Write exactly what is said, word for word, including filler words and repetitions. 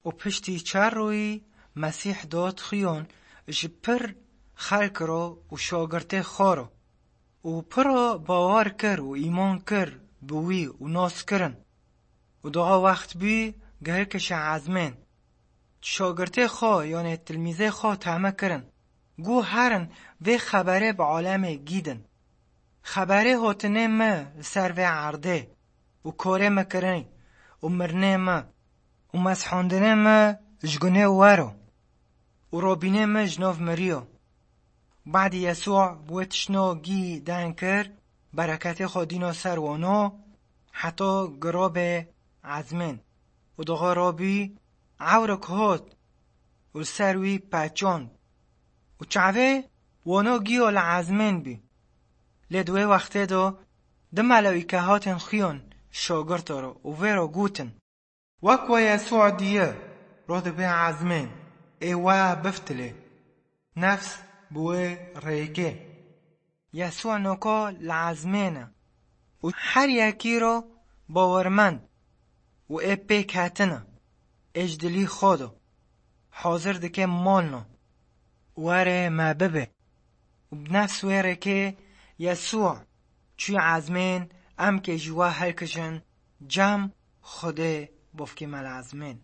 Û piştî çar royî Mesîh dot xiyon ji pir xelk ro û şagirtê xwe ro. Û piro bawer kir û îman kir bi wî û nas kirin. Û doğa wext bî gihirkişe ezmên. Şagirtê xwe, yanê tilmîzê xwe teme kirin. Gu herin vê xeberê bi alemê gîdin. Xeberê hotinê me li ser vê erdê û korê me kirin û mirinê me û meshandinê me ji gunê wero û robînê me ji nav miriyo. Badî Yesû wê tiştno gî den kir, bereketê xwe dîno ser wano, heta girobe ezmên. Û doxa robî ewrik hot û li ser wî peçand. Û çavê wano giyo li ezmên bî. Lê di wê wextê de du melewîke hatin xiyon şagirto re û vê re gotin: Wek we Yesû diye, rodibe ezmên, ê we biftilê. Nefs bi wê rêkê. Yesû noka li ezmên e û her yekî ro bawermend û ê pêk hetine, ê ji dilî xwe de hazir dike malno, were me bibe. Û bi nefs wê rêkê Yesû çû ezmên, em kê ji we hilkijin, cem Xwedê bofkê me li ezmên.